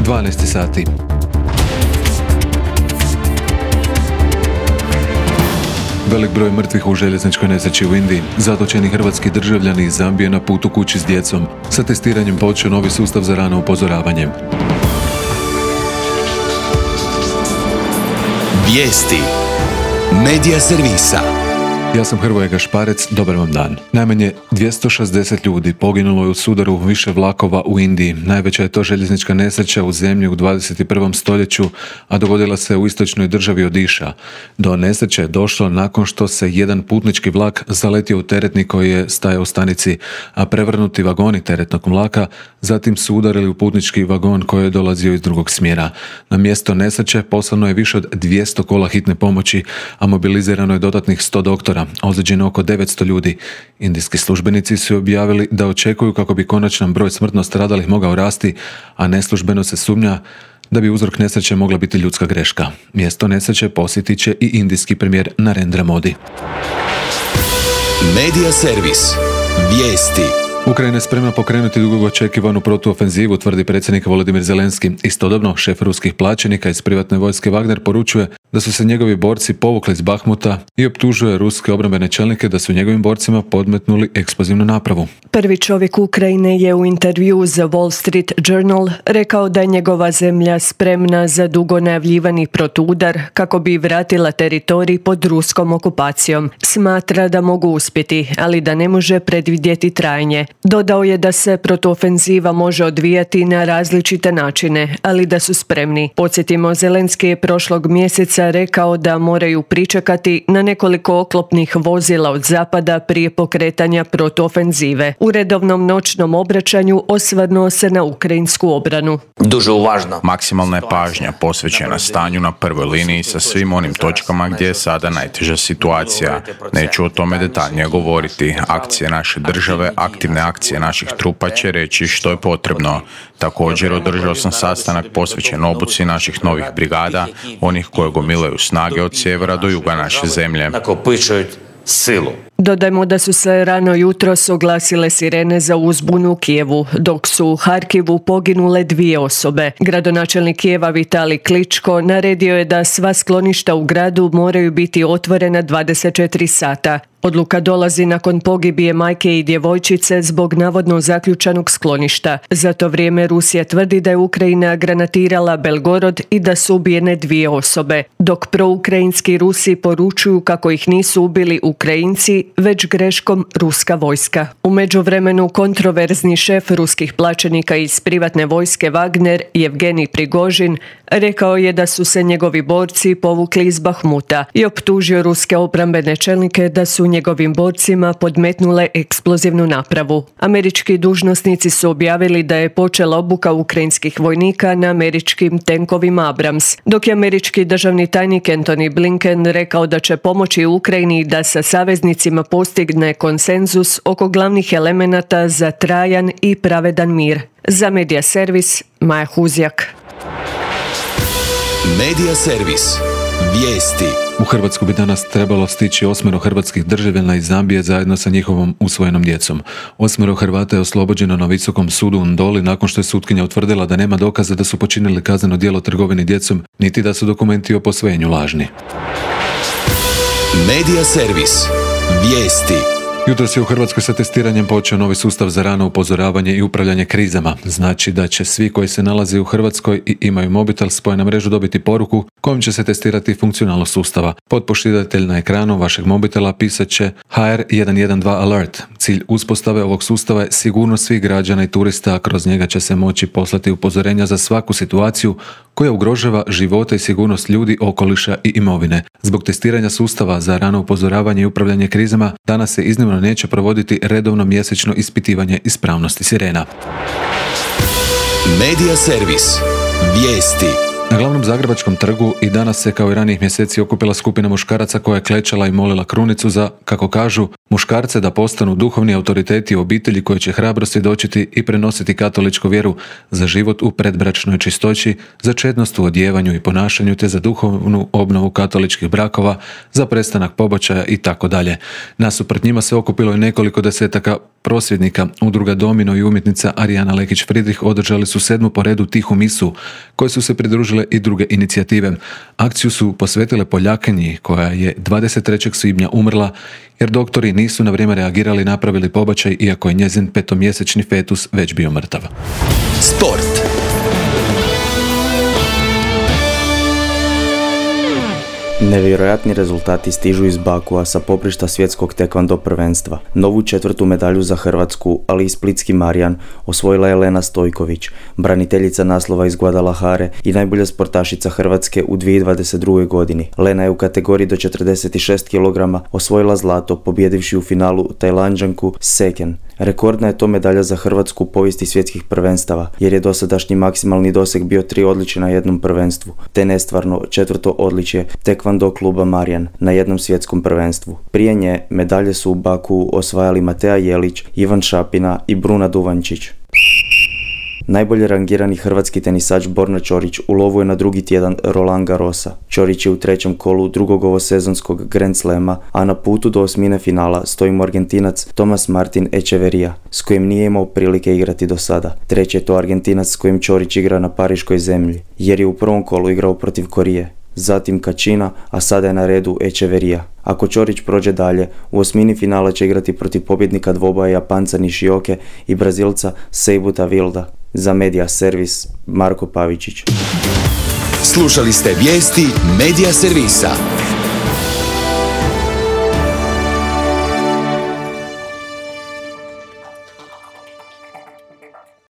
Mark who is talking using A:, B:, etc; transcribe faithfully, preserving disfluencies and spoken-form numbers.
A: dvanaest sati. Velik broj mrtvih u željezničkoj nesreći u Indiji. Zatočeni hrvatski državljani iz Zambije na putu kući s djecom. Sa testiranjem počeo novi sustav za rano upozoravanje.
B: Vijesti Medija servisa.
A: Ja sam Hrvoje Gašparec, dobar vam dan. Najmanje dvjesto šezdeset ljudi poginulo je u sudaru više vlakova u Indiji. Najveća je to željeznička nesreća u zemlji u dvadeset prvom stoljeću, a dogodila se u istočnoj državi Odiša. Do nesreće je došlo nakon što se jedan putnički vlak zaletio u teretni koji je stajao u stanici, a prevrnuti vagoni teretnog vlaka zatim su udarili u putnički vagon koji je dolazio iz drugog smjera. Na mjesto nesreće poslano je više od dvjesto kola hitne pomoći, a mobilizirano je dodatnih sto doktora. Ozlijeđeno oko devetsto ljudi. Indijski službenici su objavili da očekuju kako bi konačan broj smrtno stradalih mogao rasti, a neslužbeno se sumnja da bi uzrok nesreće mogla biti ljudska greška. Mjesto nesreće posjetit će i indijski premijer Narendra Modi.
B: Medija servis. Vijesti.
A: Ukrajina je spremna pokrenuti dugo očekivanu protuofenzivu, tvrdi predsjednik Volodimir Zelenski. Istodobno, šef ruskih plaćenika iz privatne vojske Wagner poručuje da su se njegovi borci povukli iz Bahmuta i optužuje ruske obrambene čelnike da su njegovim borcima podmetnuli eksplozivnu napravu.
C: Prvi čovjek Ukrajine je u intervju za Wall Street Journal rekao da je njegova zemlja spremna za dugo najavljivani protuudar kako bi vratila teritorij pod ruskom okupacijom. Smatra da mogu uspjeti, ali da ne može predvidjeti trajanje. Dodao je da se protuofenziva može odvijati na različite načine, ali da su spremni. Podsjetimo, Zelenski je prošlog mjeseca rekao da moraju pričekati na nekoliko oklopnih vozila od zapada prije pokretanja protuofenzive. U redovnom noćnom obraćanju osvrnuo se na ukrajinsku obranu.
D: Дуже уважно.
E: Maksimalna je pažnja posvećena stanju na prvoj liniji sa svim onim točkama gdje je sada najteža situacija. Neću o tome detaljnije govoriti. Akcije naše države, aktivne akcije naših trupa će reći što je potrebno. Također održao sam sastanak posvećen obuci naših novih brigada, onih koje gomilaju snage od sjevera do juga naše zemlje.
D: Silu.
C: Dodajmo da su se rano jutros oglasile sirene za uzbunu u Kijevu, dok su u Harkivu poginule dvije osobe. Gradonačelnik Kijeva Vitalij Kličko naredio je da sva skloništa u gradu moraju biti otvorena dvadeset četiri sata. Odluka dolazi nakon pogibije majke i djevojčice zbog navodno zaključanog skloništa. Za to vrijeme Rusija tvrdi da je Ukrajina granatirala Belgorod i da su ubijene dvije osobe, dok proukrajinski Rusi poručuju kako ih nisu ubili Ukrajinci, već greškom ruska vojska. U međuvremenu kontroverzni šef ruskih plaćenika iz privatne vojske Wagner, Jevgenij Prigožin, rekao je da su se njegovi borci povukli iz Bahmuta i optužio ruske obrambene čelnike da su njegovim borcima podmetnule eksplozivnu napravu. Američki dužnosnici su objavili da je počela obuka ukrajinskih vojnika na američkim tenkovima Abrams, dok je američki državni tajnik Antony Blinken rekao da će pomoći Ukrajini da sa saveznicima postigne konsenzus oko glavnih elemenata za trajan i pravedan mir. Za Medija servis, Maja Huzjak.
B: Medija servis. Vijesti.
A: U Hrvatsku bi danas trebalo stići osmero hrvatskih državljana iz Zambije zajedno sa njihovom usvojenom djecom. Osmero Hrvata je oslobođeno na Visokom sudu u Ndoli nakon što je sutkinja utvrdila da nema dokaza da su počinili kazneno djelo trgovine djecom, niti da su dokumenti o posvojenju lažni.
B: Medija servis. Vijesti.
A: Jutros je u Hrvatskoj sa testiranjem počeo novi sustav za rano upozoravanje i upravljanje krizama. Znači da će svi koji se nalaze u Hrvatskoj i imaju mobitel spojen na mrežu dobiti poruku kojom će se testirati funkcionalnost sustava. Potpošiljatelj na ekranu vašeg mobitela pisat će H R jedan jedan dva alert. Cilj uspostave ovog sustava je sigurnost svih građana i turista, a kroz njega će se moći poslati upozorenja za svaku situaciju koja ugrožava živote i sigurnost ljudi, okoliša i imovine. Zbog testiranja sustava za rano upozoravanje i upravljanje krizama danas se iznimno neće provoditi redovno mjesečno ispitivanje ispravnosti sirena.
B: Medija servis. Vijesti.
A: Na glavnom zagrebačkom trgu i danas se kao i ranijih mjeseci okupila skupina muškaraca koja je klečala i molila krunicu za, kako kažu, Muškarce da postanu duhovni autoriteti u obitelji koji će hrabro svjedočiti i prenositi katoličku vjeru, za život u predbračnoj čistoći, za čednost u odjevanju i ponašanju te za duhovnu obnovu katoličkih brakova, za prestanak pobačaja i tako dalje. Nasuprot njima se okupilo i nekoliko desetaka prosvjednika. Udruga Domino i umjetnica Arijana Lekić-Fridrih održali su sedmu po redu tihu misu, koje su se pridružile i druge inicijative. Akciju su posvetile Poljakinji, koja je dvadeset trećeg svibnja umrla jer doktori nisu na vrijeme reagirali i napravili pobačaj, iako je njezin petomjesečni fetus već bio mrtav.
B: Sport.
F: Nevjerojatni rezultati stižu iz Bakua sa poprišta svjetskog tekvando prvenstva. Novu četvrtu medalju za Hrvatsku, ali i splitski Marijan, osvojila je Lena Stojković, braniteljica naslova iz Guadalajare i najbolja sportašica Hrvatske u dvije tisuće dvadeset druge. godini. Lena je u kategoriji do četrdeset šest kilograma osvojila zlato, pobjedivši u finalu Tajlanđanku Seken. Rekordna je to medalja za Hrvatsku u povijesti svjetskih prvenstava, jer je dosadašnji maksimalni doseg bio tri odličja na jednom prvenstvu, te nestvarno četvrto odličje tekvando kluba Marijan na jednom svjetskom prvenstvu. Prije nje medalje su u Baku osvajali Matea Jelić, Ivan Šapina i Bruna Duvančić. Najbolje rangirani hrvatski tenisač Borna Ćorić u lovu je na drugi tjedan Roland Garrosa. Ćorić je u trećem kolu drugog ovosezonskog Grand Slema, a na putu do osmine finala stoji mu Argentinac Tomas Martin Echeverría, s kojim nije imao prilike igrati do sada. Treći je to Argentinac s kojim Ćorić igra na pariškoj zemlji, jer je u prvom kolu igrao protiv Korije. Zatim Kačina, a sada je na redu Echeverría. Ako Ćorić prođe dalje, u osmini finala će igrati protiv pobjednika dvoboja Japanca Nishioke i Brazilca Seibuta Wilda. Za Media Servis, Marko Pavičić.
B: Slušali ste vijesti Media Servisa.